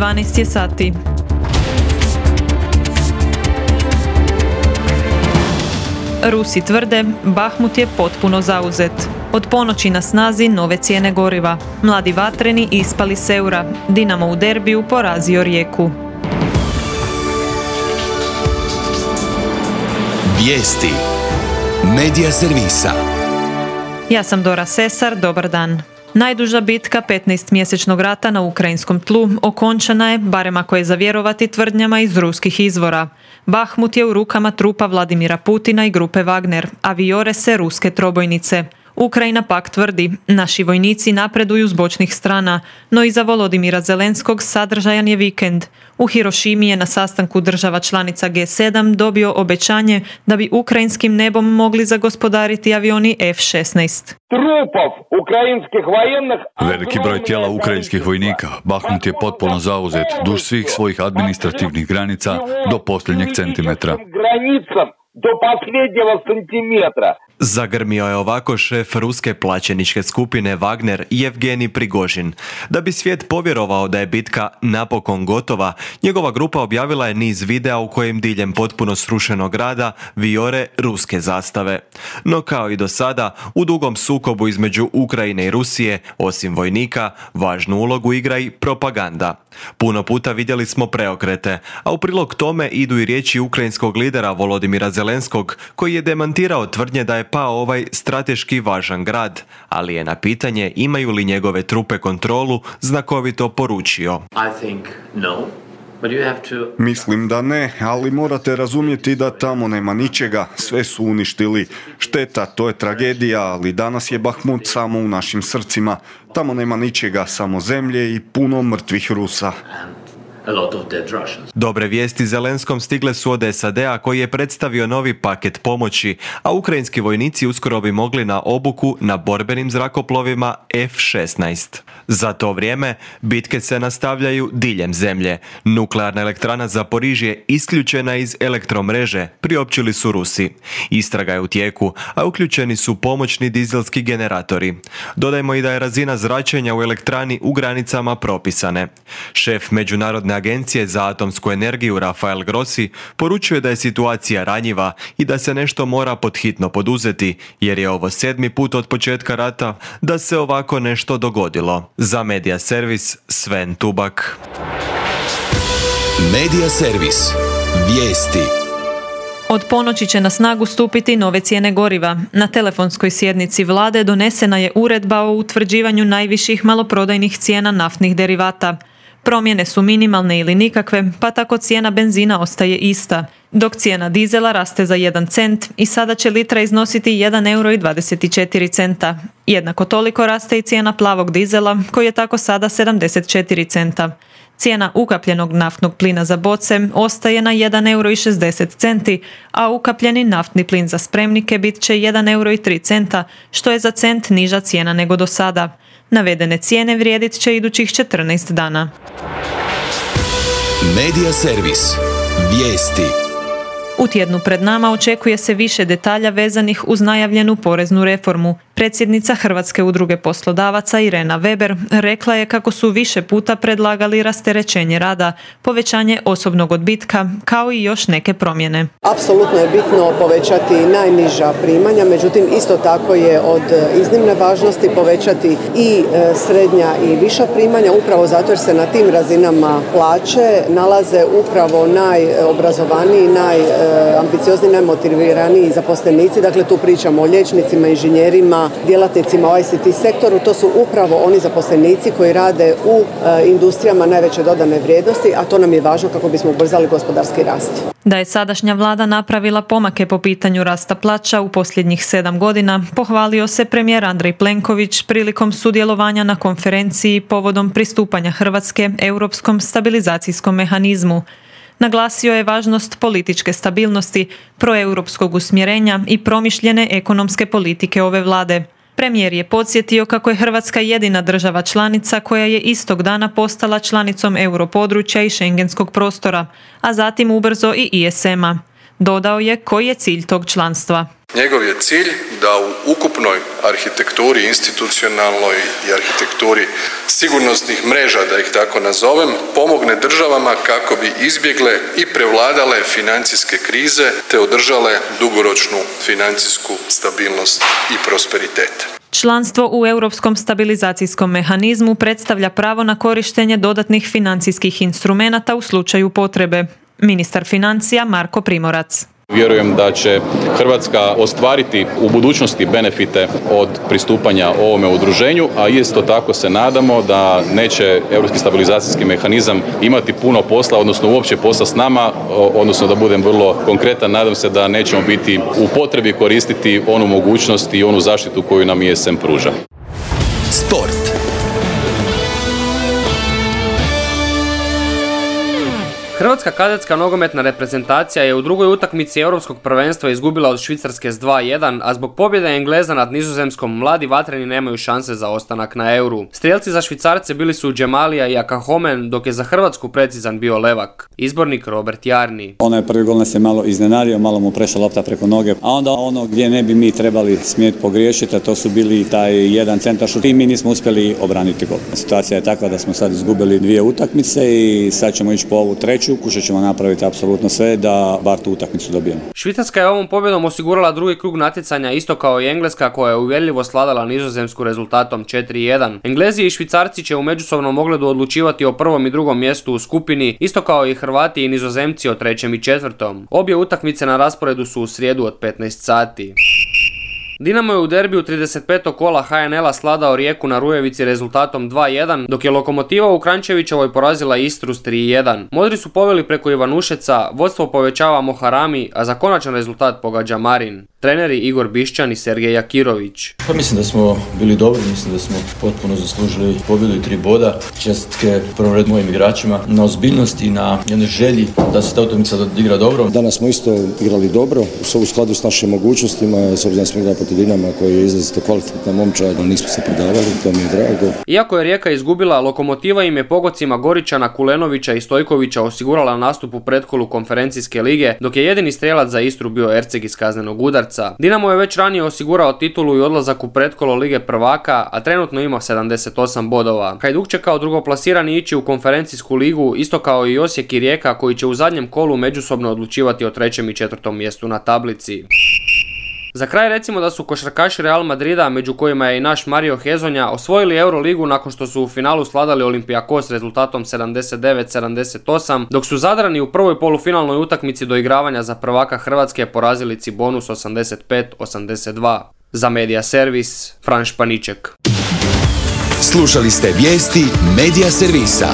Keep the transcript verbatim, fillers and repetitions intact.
dvanaest je sati. Rusi tvrde, Bahmut je potpuno zauzet. Od ponoći na snazi nove cijene goriva. Mladi vatreni ispali s eura. Dinamo u derbiju porazio Rijeku. Vijesti Medija servisa. Ja sam Dora Sesar, dobar dan. Najduža bitka petnaestmjesečnog rata na ukrajinskom tlu okončana je, barem ako je za vjerovati tvrdnjama iz ruskih izvora. Bahmut je u rukama trupa Vladimira Putina i grupe Wagner, a vijore se ruske trobojnice. Ukrajina pak tvrdi, naši vojnici napreduju s bočnih strana, no iza Volodimira Zelenskog sadržajan je vikend. U Hirošimi je na sastanku država članica G sedam dobio obećanje da bi ukrajinskim nebom mogli zagospodariti avioni F šesnaest. Veliki broj tijela ukrajinskih vojnika. Bahmut je potpuno zauzet duž svih svojih administrativnih granica do posljednjeg centimetra. Do posljednjega centimetra. Zagrmio je ovako šef ruske plaćeničke skupine Wagner Jevgenij Prigožin. Da bi svijet povjerovao da je bitka napokon gotova, njegova grupa objavila je niz videa u kojem diljem potpuno srušenog grada vijore ruske zastave. No kao i do sada, u dugom sukobu između Ukrajine i Rusije, osim vojnika, važnu ulogu igra i propaganda. Puno puta vidjeli smo preokrete, a u prilog tome idu i riječi ukrajinskog lidera Volodimira Zelenskog, koji je demantirao tvrdnje da je pao ovaj strateški važan grad, ali je na pitanje imaju li njegove trupe kontrolu znakovito poručio. I think no. To... Mislim da ne, ali morate razumjeti da tamo nema ničega, sve su uništili. Šteta, to je tragedija, ali danas je Bahmut samo u našim srcima. Tamo nema ničega, samo zemlje i puno mrtvih Rusa. A lot of dead Russians. Dobre vijesti Zelenskom stigle su od S A D-a koji je predstavio novi paket pomoći, a ukrajinski vojnici uskoro bi mogli na obuku na borbenim zrakoplovima F šesnaest. Za to vrijeme bitke se nastavljaju diljem zemlje. Nuklearna elektrana Zaporižje je isključena iz elektromreže, priopćili su Rusi. Istraga je u tijeku, a uključeni su pomoćni dizelski generatori. Dodajmo i da je razina zračenja u elektrani u granicama propisane. Šef međunarodne agencije za atomsku energiju Rafael Grossi poručuje da je situacija ranjiva i da se nešto mora podhitno poduzeti, jer je ovo sedmi put od početka rata da se ovako nešto dogodilo. Za Medija servis Sven Tubak. Medija servis. Vijesti. Od ponoći će na snagu stupiti nove cijene goriva. Na telefonskoj sjednici vlade donesena je uredba o utvrđivanju najviših maloprodajnih cijena naftnih derivata. Promjene su minimalne ili nikakve, pa tako cijena benzina ostaje ista, dok cijena dizela raste za jedan cent i sada će litra iznositi jedan euro i dvadeset četiri centa. Jednako toliko raste i cijena plavog dizela, koji je tako sada sedamdeset četiri centa. Cijena ukapljenog naftnog plina za boce ostaje na jedan euro i šezdeset centi, a ukapljeni naftni plin za spremnike bit će jedan euro i tri centa, što je za cent niža cijena nego do sada. Navedene cijene vrijedit će idućih četrnaest dana. Medija servis. Vijesti. U tjednu pred nama očekuje se više detalja vezanih uz najavljenu poreznu reformu. Predsjednica Hrvatske udruge poslodavaca Irena Weber rekla je kako su više puta predlagali rasterećenje rada, povećanje osobnog odbitka, kao i još neke promjene. Apsolutno je bitno povećati najniža primanja, međutim isto tako je od iznimne važnosti povećati i srednja i viša primanja, upravo zato jer se na tim razinama plaće nalaze upravo najobrazovaniji, najambiciozniji, najmotiviraniji zaposlenici. Dakle, tu pričamo o liječnicima, inženjerima, djelatnicima u I C T sektoru. To su upravo oni zaposlenici koji rade u e, industrijama najveće dodane vrijednosti, a to nam je važno kako bismo ubrzali gospodarski rast. Da je sadašnja vlada napravila pomake po pitanju rasta plaća u posljednjih sedam godina, pohvalio se premijer Andrej Plenković prilikom sudjelovanja na konferenciji povodom pristupanja Hrvatske Europskom stabilizacijskom mehanizmu. Naglasio je važnost političke stabilnosti, proeuropskog usmjerenja i promišljene ekonomske politike ove vlade. Premijer je podsjetio kako je Hrvatska jedina država članica koja je istog dana postala članicom europodručja i šengenskog prostora, a zatim ubrzo i I S M-a. Dodao je koji je cilj tog članstva. Njegov je cilj da u ukupnoj arhitekturi, institucionalnoj i arhitekturi sigurnosnih mreža, da ih tako nazovem, pomogne državama kako bi izbjegle i prevladale financijske krize te održale dugoročnu financijsku stabilnost i prosperitet. Članstvo u Europskom stabilizacijskom mehanizmu predstavlja pravo na korištenje dodatnih financijskih instrumenata u slučaju potrebe. Ministar financija Marko Primorac. Vjerujem da će Hrvatska ostvariti u budućnosti benefite od pristupanja ovome udruženju, a isto tako se nadamo da neće Europski stabilizacijski mehanizam imati puno posla, odnosno uopće posla s nama, odnosno da budem vrlo konkretan, nadam se da nećemo biti u potrebi koristiti onu mogućnost i onu zaštitu koju nam E S M pruža. Sport. Hrvatska kadetska nogometna reprezentacija je u drugoj utakmici Europskog prvenstva izgubila od Švicarske s dva jedan, a zbog pobjede Engleza nad Nizozemskom mladi vatreni nemaju šanse za ostanak na Euru. Strijelci za Švicarce bili su Džemalija i Akahomen, dok je za Hrvatsku precizan bio Levak. Izbornik Robert Jarni. Onaj prvi gol nas je malo iznenadio, malo mu prešla lopta preko noge, a onda ono gdje ne bi mi trebali smjeti pogriješiti, a to su bili taj jedan centaršut i mi nismo uspjeli obraniti gol. Situacija je takva da smo sad izgubili dvije utakmice i sad ćemo ići po ovu treću. Kušat ćemo napraviti apsolutno sve da bar tu utakmicu dobijemo. Švicarska je ovom pobjedom osigurala drugi krug natjecanja isto kao i Engleska koja je uvjerljivo sladala Nizozemsku rezultatom četiri jedan. Englezi i Švicarci će u međusobnom ogledu odlučivati o prvom i drugom mjestu u skupini, isto kao i Hrvati i Nizozemci o trećem i četvrtom. Obje utakmice na rasporedu su u srijedu od petnaest sati. Dinamo je u derbiju trideset petog kola H N L-a sladao Rijeku na Rujevici rezultatom dva jedan, dok je Lokomotiva u Kranjčevićevoj porazila Istru s tri jedan. Modri su poveli preko Ivanušeca, vodstvo povećava Moharami, a za konačan rezultat pogađa Marin. Treneri Igor Bišćan i Sergej Jakirović. Pa mislim da smo bili dobri, mislim da smo potpuno zaslužili pobjedu i tri boda. Čestitke u prvom redu mojim igračima na ozbiljnosti i na jednoj želji da se ta utakmica odigra dobro. Danas smo isto igrali dobro, u skladu s našim mogućnostima, s obzirom da smo igrali protiv Dinama koji je izrazito kvalitetna momčad, nismo se predavali, to mi je drago. Iako je Rijeka izgubila, Lokomotiva im je pogocima Goričana, Kulenovića i Stojkovića osigurala nastup u pretkolu konferencijske lige, dok je jedini strijelac za Istru bio Erceg iz kaznenog udarca. Dinamo je već ranije osigurao titulu i odlazak u pretkolo Lige prvaka, a trenutno ima sedamdeset osam bodova. Hajduk će kao drugoplasirani ići u konferencijsku ligu, isto kao i Osijek i Rijeka koji će u zadnjem kolu međusobno odlučivati o trećem i četvrtom mjestu na tablici. Za kraj recimo da su košarkaši Real Madrida, među kojima je i naš Mario Hezonja, osvojili Euroligu nakon što su u finalu sladali Olympiakos rezultatom sedamdeset devet sedamdeset osam, dok su Zadrani u prvoj polufinalnoj utakmici doigravanja za prvaka Hrvatske porazili Cibonus osamdeset pet osamdeset dva. Za Media Servis, Fran Španiček. Slušali ste vijesti Media Servisa.